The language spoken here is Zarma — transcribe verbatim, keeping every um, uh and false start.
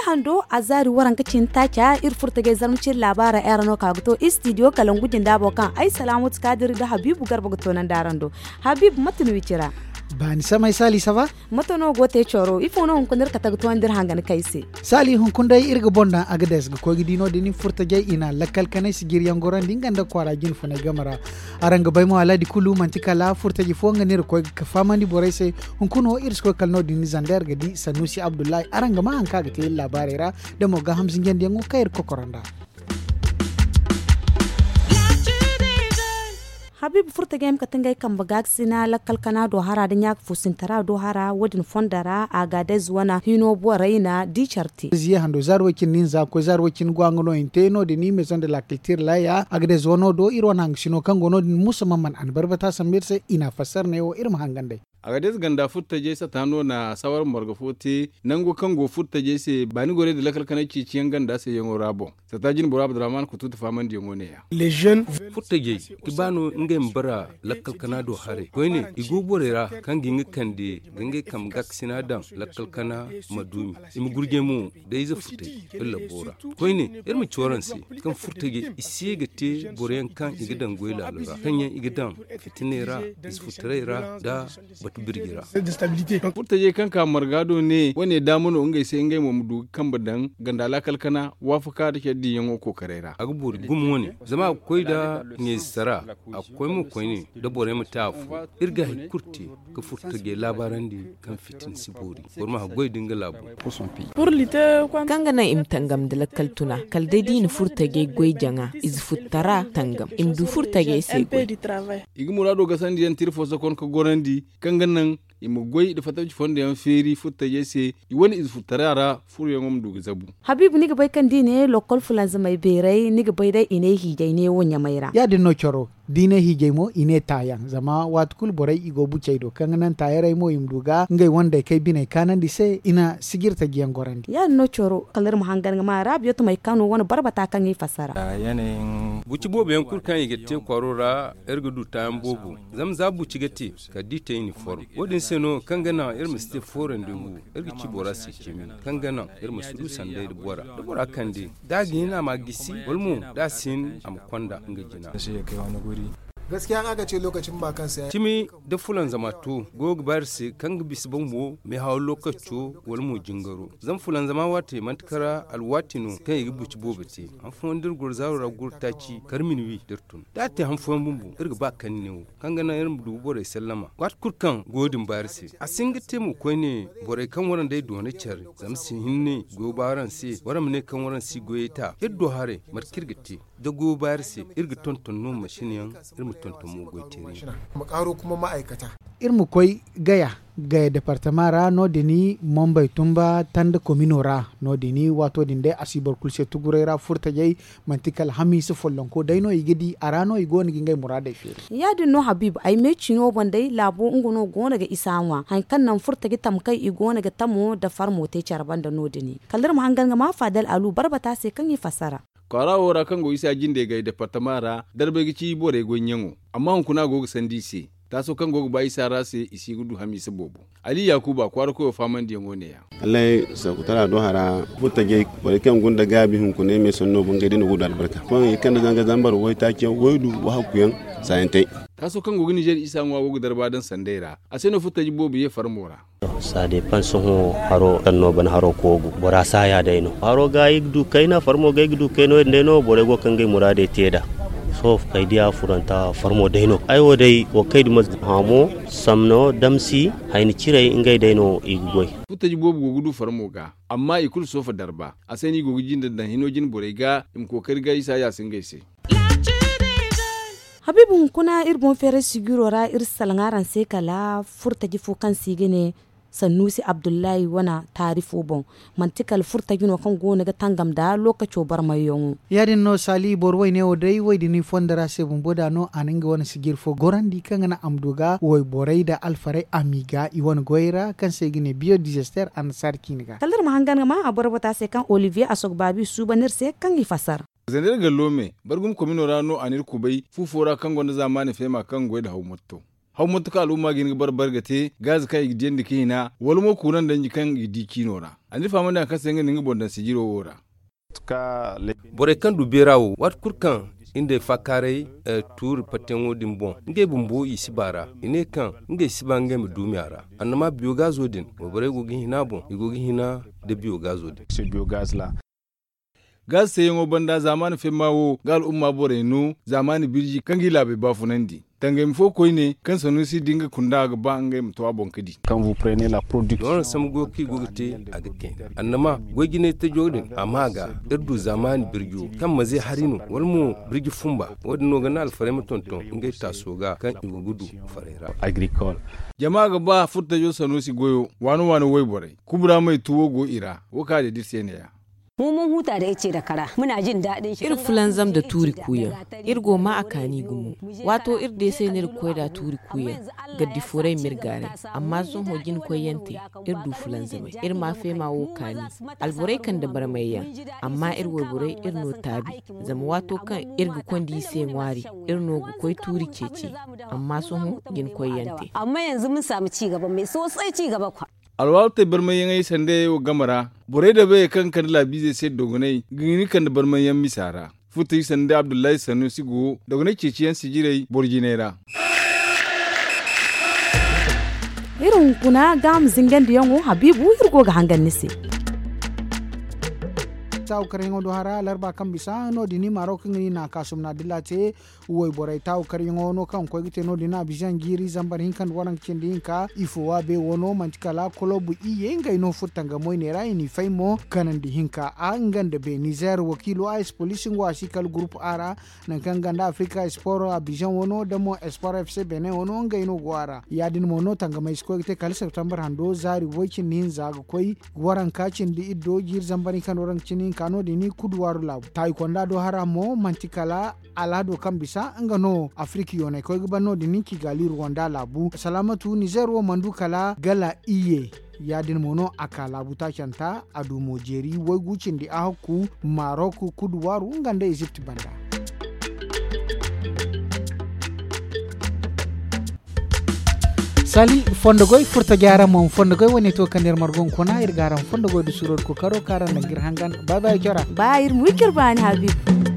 Araŋ do a zaari waranka cine taaca iri furo tajey zarma cine laabaara ay ra no ka ga to istidiyo kala ngu jinda bo kaŋ ay salaamatu kaadir nda habiibu garba ga toonandi araŋ do. Habiibu mate no i ci ra? Baani samay saali saba. Mate no go te coro ifo no hunkuna iri kate ga toonandi iri hangan kay se? Saali hunkuna day iri ga boŋ daŋ agades ga koy ga di no- din furo tajey i na lakkal kanay sijiriyaŋ gorandi nga nda kwaara jinfunay game ra. Araŋ ga bay mo aladi kulu manti kala furo taji fo nga no iri ga koy ga fahamandi borey se. Hunkuna wo iri si koy kala no- din zander ga di sannusi abdullahi araŋ ga maa hari kaŋ a ga te iri laabaarey ra, da mo gaaham zinjandiyaŋo kaŋ iri ga kokoro nd'a. Habiibu furo tajey ma kate ngey kambe gaakasina lakkal kana do hara nda ɲaaka fuusintara do hara wo- din fondo ra a ga adez wane hino borey na di care te. Ziye hando zaari way- cine no i na za ga koy zaari way- cine go a nga no i na te no- din meezoŋ de la kiltir laaya a ga adez wano do iri wane hangasino kaŋ go no- din musa man man a na barbata sambu iri se i na a fassara neewo iri ma hangan day. Agadez ganda furtajey sata no na sawar marga fo te nango kaŋ go furtajey se baani gorey nda lakkal kanay ceeciyaŋ ganda se yaŋo ra boŋ. Sata jine boro abdurrahman kutuutu faamandiyaŋo neeya. Furtajey ga ba no ngey ma bara lakkal kana do haray koyne i go borey ra kaŋ ga hin ga kande ga ngey kambe gaakasina daŋ lakkal kana ma duumi i ma gurjay mo da ize furtajey iri labbo ra. Koyne iri ma ci waraŋ se kaŋ furtajey i si ye ga te boro yaŋ kaŋ i ga daŋ goy laalo ra kaŋ yaŋ i ga daŋ fitiney ra ize furtaray ra nda batu birji ra. Furtajey kaŋ ka marga do ne wane daama no ngey se ngey mo ma du ga kambe daŋ ganda laakal kana waafaka nda care diiyaŋo kookaray ra a ga boori gumo wane zama a ga koy nda ɲayze sara a ga koy mo koyne nda borey ma te afo. Iri ga hari kulu te ga furtajey laabaarandi kaŋ fitina si boori boro ma haggoy nda nga laabo. Kaŋ ga naŋ i ma tangam nda lakkal tuna kala day da i na furtajey goy jaŋa ize futtara tangam i ma du furtajey se goy. I ga muraado gasandi yaŋ tira fo sokon ga gorandi kaŋ ga naŋ i ma goy nda fattaci fondo yaŋ feeri furtajey se i wane ize futtara ra furoyaŋo ma du ga zabu. Habiibu ni ga bay kaŋ da i ne lokkol fulanzamey beeray ni ga bay day i ne hiijay neewo ɲamay ra. Ya- din no coro da i ne hiijay mo i ne taayaŋ zama waati kulu borey i go bucey do kaŋ ga naŋ taayarey mo i ma du ga ngey wandey kay biney kaanandi se i na sijirtaji yaŋ gorandi. Ya- din no coro kala iri ma hangan ga ma raabiyo tumey kaano wane barbata kaŋ i fassara. Buci boobo yaŋ kulu kaŋ i ga te kwaaro ra iri ga du taayaŋ boobo zama za buci ga te kala da i te iniform wo- din se no kaŋ ga naŋ iri ma si te fo randewu iri ga ci bora se cimi kaŋ ga naŋ iri ma si du sanday nda bora da bora kande da a ga hin a ma gisi wala mo da a si hin a ma konda nga jina. Cimi da fulanzama to goyo ga ba iri se kaŋ ga bisa bambo meehaw lokaco wala mo jingaro zama fulanzama waati manti kara alwaati no kaŋ i ga buci boobo te han fooyaŋ da iri goro zaaro ra guru taaci kar minuwi da iri tun da a te han fooyaŋ bumbo iri ga ba kaŋ neewo kaŋ ga naŋ iri ma du borey sallama waati kulu kaŋ goyo din ba iri se a si hin ga te mo koyne borey kaŋ waraŋ day doona care zama si hinne goyo ba araŋ se waraŋ ma ne kaŋ waraŋ si goyey ta iri do haray mate kaŋ iri ga te da goyo ba iri se iri ga tonton no mashin yaŋ iri ma tonton mo goy teeri yaŋ. Iri ma koy gaya gaya departama ra no- din mambay tumba tanda komino ra no- din waato din day a si boro kulu se tuguray ra furtajey manti kala hamiisa follonko day no i ga di a ra no i go no ga ngey muraadey feeri. Ya- din no habiibu ay me cino boŋ day laabo nga no go no ga isa ŋwa hari kaŋ naŋ furtaji tamkay i go no ga tamo nda farmo te care banda no- din kala iri ma hangan ga ma faadal alu barbata se kaŋ i fassara. Kwaara wo ra kaŋ go isa jinde gay departama ra darbay ga ci borey goyyaŋo amma hunkuna a go ga sandi i se taaso kaŋ go ga ba isa ra se i si ga du hamiisa boobo. Ali yaakuba kwaara koyo faamandiyaŋo neeya. Allay saakutara do hara furtajey borey kaŋ gunda gaabi hunkuna i me sanno bo ngey day no go ga du albarka koy yaŋ i kande zanga zambar waytaaciyaŋ waydu wahakkuyaŋ saayantey. Taaso kaŋ go ga nizer isa ŋwa go ga darba daŋ sanday ra a se no furtaji boobo ye farmo ra. Saade pan sohõ haro kaŋ no ban haro koogu bora saaya day no haro ga i ga du kayna farmo ga i ga du kayna wo- din day no borey go ga kaŋ ngey muraadey te nd'a. Sohõ kay diya furanta farmo day no ay wo day wo kay duma hamo samno damsi hayni ciray ngey day no i ga goy. Furtaji boobo go ga du farmo ga amma i kulu soofa darba a se no i go ga jinde daŋ hino jine borey ga i ma kookari ga isa ya si ngey se. Habiibu hunkuna iri boŋ feeray sijiro ra iri si salaŋ araŋ se kala furtaji fo kaŋ se i ga ne sannuusi abdullahi wane taari fo boŋ. Manti kala furtaji no kaŋ go no ga tangam nda lookaco barmayyaŋo. Ya- din no saali boro wayne wo day way din i fondo ra se bumbo da no a na nga wane sijiri fo gorandi kaŋ ga naŋ a ma du ga wayborey nda alfarey a m'i ga i wane goyey ra kaŋ se i ga ne biyo dizester annasaari ciine ga. Kala iri ma hangan ga maa a boro bata se kaŋ olivier asogbaabi suuban iri se kaŋ i fasar. Zanda iri ga loome bargum komino ra no a n'iri kubay fu fo ra kaŋ gonda zaamaani feema kaŋ ga goy nda haw motto. Haw mate kaŋ al'umma ga hin ga bare bare ga te gaazi kaŋ i ga diyandi ka hina wala mo kuuraŋ danji kaŋ i ga di ciino ra. A na iri fahamandi hari kaŋ se nga na nga boŋ daŋ sijiro wo ra. Borey kaŋ du beera wo waati kulu kaŋ i nda ay faakaaray tuuri patteyaŋo din boŋ ngey bumbo i si ba ra i ne kaŋ ngey si ba ngey ma duumi a ra. Annama biyo gaazo din wayborey go ga hina a boŋ i go ga hina nda biyo gaazo din. Gaazi teeyaŋo banda zaamaani femma wo ga al'umma borey no zaamaani birji kaŋ ga i laabey baafunandi tangayma fo koyne kaŋ sanuusi da nga kunda ga ba ngey ma to a boŋ ka di. Doona sambu goyo kaŋ i go ga te a ga kayna annama goy jinay tajo din a ma ga iri du zaamaani birjo kaŋ maze hari no wala mo birji fumba. Wo- din no ga naŋ alfarey ma tonton ngey taaso ga kaŋ i go ga du faray ra. Jama ga ba furtajo sanuusi goyo waano waano wayborey kubura may tuwo go i ra. Wo kaŋ a deeda iri se ne- ya. Iri fulanzam nda tuuri kuuyaŋ. Iri go ma a kaani gumo. Waato iri deesay no iri ga koy nd'a tuuri kuuyaŋ. Gaddi fooray ma iri gaaray. Amma sohõ jina koyyaŋ te iri du fulanzamay iri ma feema wo kaani. Alborey kande barmayyaŋ. Amma iri wayborey iri no taabi. Zama waato kaŋ iri ga konda i se ŋwaari iri no ga koy tuuri ceeci. Amma sohõ jina koyyaŋ te. Alwaalo te barmayyaŋey sanda yayey wo game ra. Borey da bayey kaŋ ga kande laabiizey se dogoney ga hin ga kande barmayyaŋ misa ra. Furtaji sanda abdullahi sanuusi go dogoney ceeciyaŋ sijirey boro jinay ra. Iri hunkuna gaaham zingandiyaŋo habiibu iri go ga hangan ni se. Taawu karyaŋo do hara larba kaŋ bisa no- din i maaro kaŋ ga ni na kaasum na dilla te. Wayborey taawu karyaŋo no kaŋ ga koy ga te no- din abizaŋ jiiri zambar hinka nda waranka cindi hinka ifo waabe wano manti kala kolobu iyye ngey no furo tanga moyne ra i n'i fay mo kanandi hinka a nga nda be nizer wakiilo a espolisi nga wo a si kala gurupu a ra. Nangu kaŋ nga nda afrika esporo abizaŋ wano da mo esporo fc benin wano ngey no go a ra ya- din mo no tangamey si koy ga te kala septembar hando zaari way cindi hinza ga koy waranka cindi iddo jiiri zambar hinka nda waranka cindi hinka no- din kuduwaaru laabu taayi konda do hara mo manti kala alhado kaŋ bisa nga no afirika yoonay koy ga ban no- din kigali ruwanda laabu salaamatu nizer wo mana du kala gala iyye. Ya- din mo no a ka laabu taacanta a du mo jeeri waygu cindi ahakku marok kuduwaaru nga nda ezipt banda. Sali fondo goy furta jaara mo fondo goy wane to kaŋ iri margo hunkuna iri ga araŋ fondo goy da suuro da kookaro kaŋ araŋ daŋ ga iri hangan. Ba ba iri cora. Ba iri ma wi coro baani habiibu.